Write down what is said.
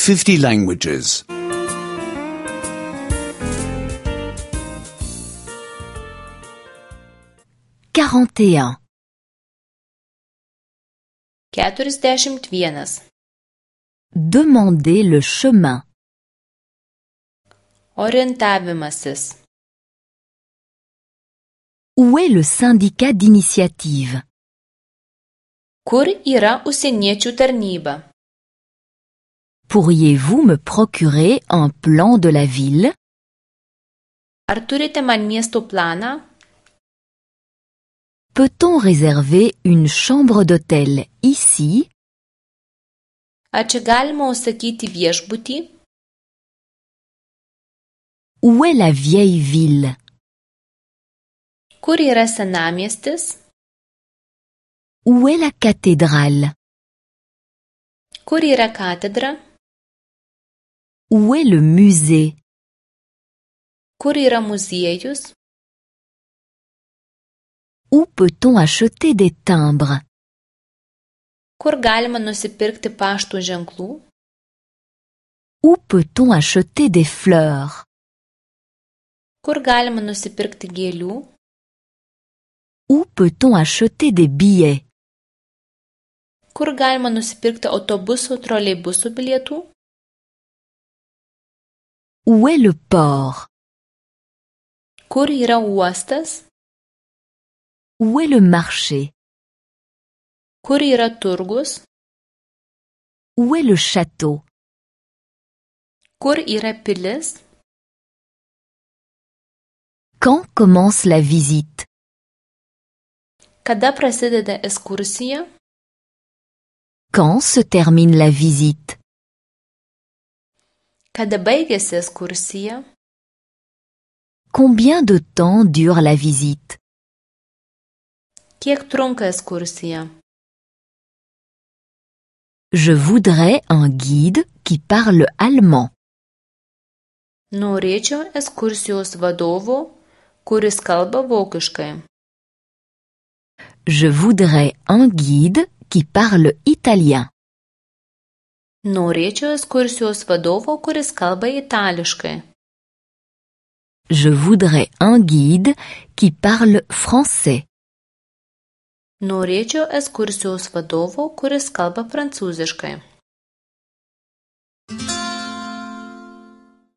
50 languages. 41. 41. Demandez le chemin. Orientavimasis. Où est le syndicat d'initiative? Kur yra užsieniečių tarnyba? Pourriez-vous me procurer un plan de la ville? Ar turite man miesto planą? Peut-on réserver une chambre d'hôtel ici? Ar čia galima užsakyti viešbutį? Où est la vieille ville? Kur yra senamiestis? Où est la cathédrale? Kur yra katedra? Où est le musée? Kur yra muziejus? Où peut-on acheter des timbres? Kur galima nusipirkti pašto ženklų? Où peut-on acheter des fleurs? Kur galima nusipirkti gėlių? Où peut-on acheter des billets? Kur galima nusipirkti autobusų, troleibusų bilietų? Où est le port? Kur yra uostas? Où est le marché? Kur yra turgus? Où est le château? Kur yra pilis? Quand commence la visite? Kada prasideda ekskursija? Quand se termine la visite? Kada baigiasi ekskursija? Combien de temps dure la visite? Kiek trunka ekskursija? Je voudrais un guide qui parle allemand. Norėčiau ekskursijos vadovo, kuris kalba vokiškai. Je voudrais un guide qui parle italien. Norėčiau ekskursijos vadovo, kuris kalba itališkai. Je voudrais un guide qui parle français. Norėčiau ekskursijos vadovo, kuris kalba prancūziškai.